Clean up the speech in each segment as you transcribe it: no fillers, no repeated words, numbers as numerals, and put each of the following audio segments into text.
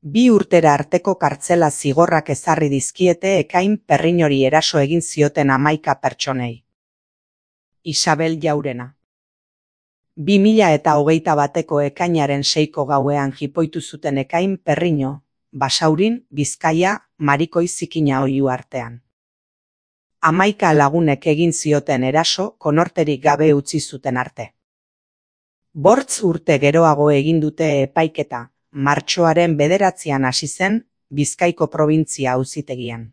2 urtera arteko kartzela zigorrak ezarri dizkiete Ekain Perriñori eraso egin zioten 11 pertsonei. Isabel Jaurena. 2021ko ekainaren 6ko gauean jipoitu zuten Ekain Perriño, Basaurin, Bizkaia, Marikoi Zikina oihu artean. 11 lagunek egin zioten eraso konorterik gabe utzi zuten arte. 5 urte geroago egin dute epaiketa, martxoaren 9an hasi zen, Bizkaiko probintzia auzitegian.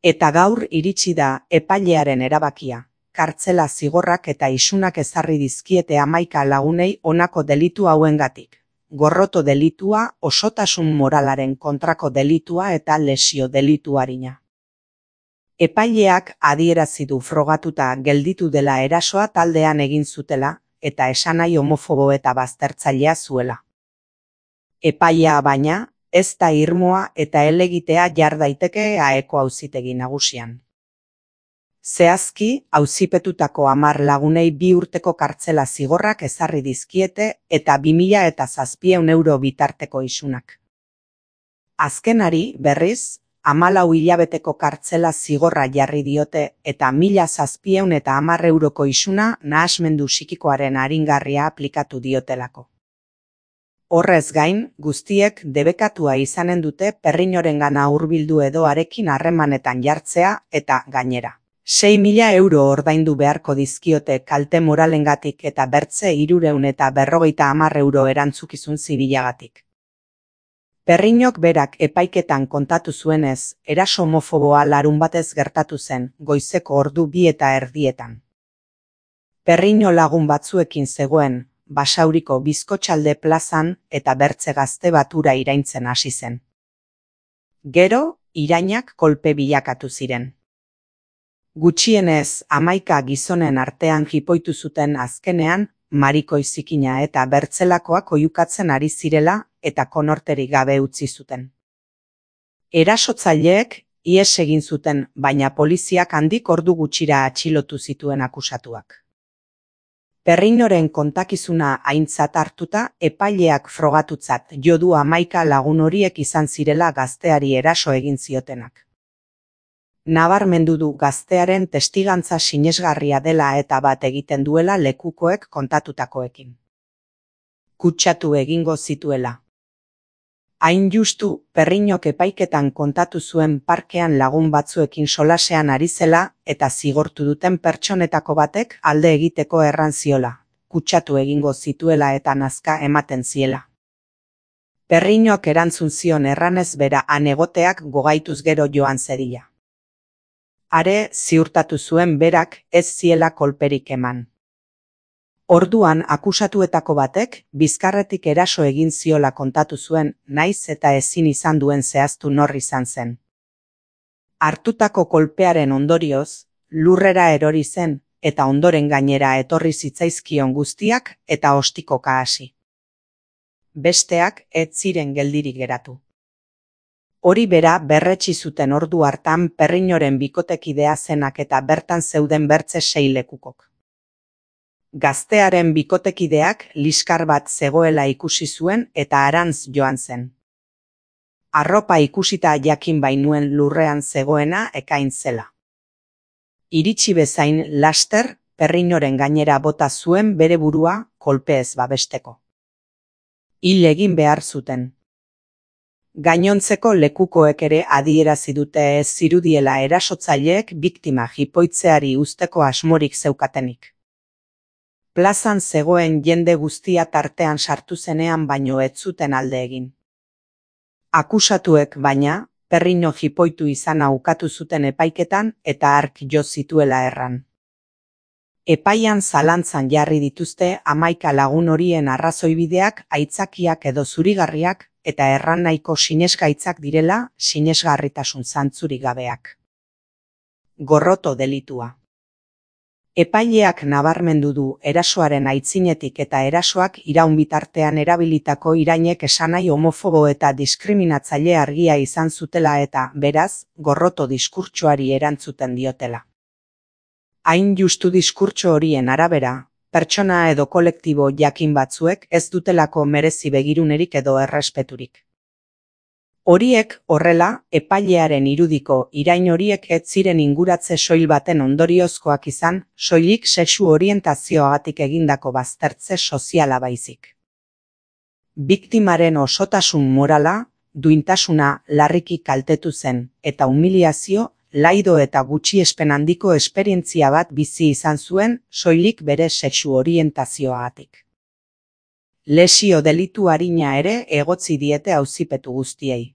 Eta gaur iritsi da epailearen erabakia, kartzela zigorrak eta isunak ezarri dizkiete 11 lagunei honako delitu hauengatik: gorroto delitua, osotasun moralaren kontrako delitua eta lesio delitu arina. Epaileak adierazi du frogatuta gelditu dela erasoa taldean egin zutela, eta esanahi homofobo eta baztertzailea zuela. Epailea baina, ez da irmoa eta helegitea jar daiteke Aeko auzitegi nagusian. Zehazki, auzipetutako 10 lagunei 2 urteko kartzela zigorrak ezarri dizkiete eta 2.700 euro bitarteko isunak. Azkenari, berriz, 14 hilabeteko kartzela zigorra jarri diote eta 1.710 euroko isuna nahasmendu psikikoaren aringarria aplikatu diotelako. Horrez gain, guztiek debekatua izanen dute Perriñorengana hurbildu edo harekin harremanetan jartzea eta, gainera, 6.000 euro ordaindu beharko dizkiote kalte moralengatik eta bertze 350 euro erantzukizun zibilagatik. Perriñok berak epaiketan kontatu zuenez, eraso homofoboa larunbatez gertatu zen, goizeko ordu 2:30. Perriño lagun batzuekin zegoen, Basauriko Bizkotxalde plazan eta bertze gazte batura iraintzen hasi zen. Gero, irainak kolpe bilakatu ziren. Gutxienez 11 gizonen artean jipoitu zuten azkenean, Marikoi Zikina eta bertzelakoak oihukatzen ari zirela eta konorterik gabe utzi zuten. Erasotzaileek ihes egin zuten, baina poliziak handik ordu gutxira atxilotu zituen akusatuak. Perriñoren kontakizuna aintzat hartuta, epaileak frogatutzat jo du 11 lagun horiek izan zirela gazteari eraso egin ziotenak. Nabarmendu du gaztearen testigantza sinesgarria dela eta bat egiten duela lekukoek kontatutakoekin. Kutsatu egingo zituela. Hain justu, Perriñok epaiketan kontatu zuen parkean lagun batzuekin solasean ari zela eta zigortu duten pertsonetako batek alde egiteko erran ziola, kutsatu egingo zituela eta nazka ematen ziela. Perriñok erantzun zion erranez bera han egoteak gogaituz gero joan zedila. Are, ziurtatu zuen berak ez ziela kolperik eman. Orduan akusatuetako batek bizkarretik eraso egin ziola kontatu zuen, naiz eta ezin izan duen zehaztu nor izan zen. Hartutako kolpearen ondorioz, lurrera erori zen eta ondoren gainera etorri zitzaizkion guztiak eta ostikoka hasi. Besteak ez ziren geldirik geratu. Hori bera berretsi zuten ordu hartan Perriñoren bikotekidea zenak eta bertan zeuden bertze 6 lekukok. Gaztearen bikotekideak liskar bat zegoela ikusi zuen eta harantz joan zen. Arropa ikusita jakin bainuen lurrean zegoena Ekain zela. Iritsi bezain laster, Perriñoren gainera bota zuen bere burua kolpeez babesteko. Hil egin behar zuten. Gainontzeko lekukoek ere adierazi dute ez zirudiela erasotzaileek biktima jipoitzeari uzteko asmorik zeukatenik. Plazan zegoen jende guztia tartean sartu zenean baino ez zuten alde egin. Akusatuek baina, Perriño jipoitu izana ukatu zuten epaiketan eta hark jo zituela erran. Epaian zalantzan jarri dituzte 11 lagun horien arrazoibideak, aitzakiak edo zurigarriak eta erran nahiko sinesgaitzak direla, sinesgarritasun zantzurik gabeak. Gorroto delitua. Epaileak nabarmendu du erasoaren aitzinetik eta erasoak iraun bitartean erabilitako irainek esanahi homofobo eta diskriminatzaile argia izan zutela eta, beraz, gorroto diskurtsoari erantzuten diotela. Hain justu diskurtso horien arabera, pertsona edo kolektibo jakin batzuek ez dutelako merezi begirunerik edo errespeturik. Horiek horrela, epailearen irudiko irain horiek ez ziren inguratze soil baten ondoriozkoak izan, soilik sexu orientazioagatik egindako baztertze soziala baizik. Biktimaren osotasun morala, duintasuna larriki kaltetu zen, eta humiliazio, laido eta gutxiespen handiko esperientzia bat bizi izan zuen, soilik bere sexu orientazioagatik. Lesio delitu arina ere egotzi diete auzipetu guztiei.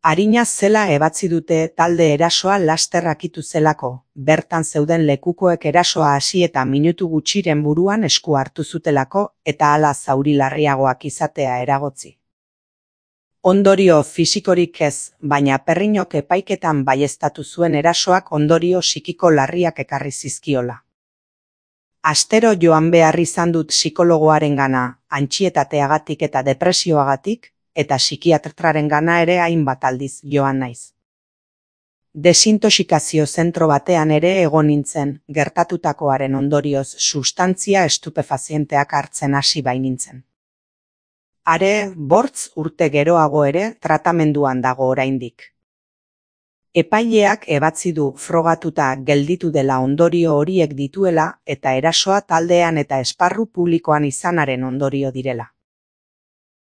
Arina zela ebatzi dute talde erasoa laster akitu zelako, bertan zeuden lekukoek erasoa hasi eta minutu gutxiren buruan esku hartu zutelako eta hala zauri larriagoak izatea eragotzi. Ondorio fisikorik ez, baina Perriñok epaiketan baieztatu zuen erasoak ondorio psikiko larriak ekarri zizkiola. Astero joan behar izan dut psikologoarengana, antsietateagatik eta depresioagatik, eta psikiatrarengana ere hainbat aldiz joan naiz. Desintoxikazio zentro batean ere egon nintzen, gertatutakoaren ondorioz sustantzia estupefazienteak hartzen hasi bainintzen. Are, 5 urte geroago ere tratamenduan dago oraindik. Epaileak ebatzi du frogatuta gelditu dela ondorio horiek dituela eta erasoa taldean eta esparru publikoan izanaren ondorio direla.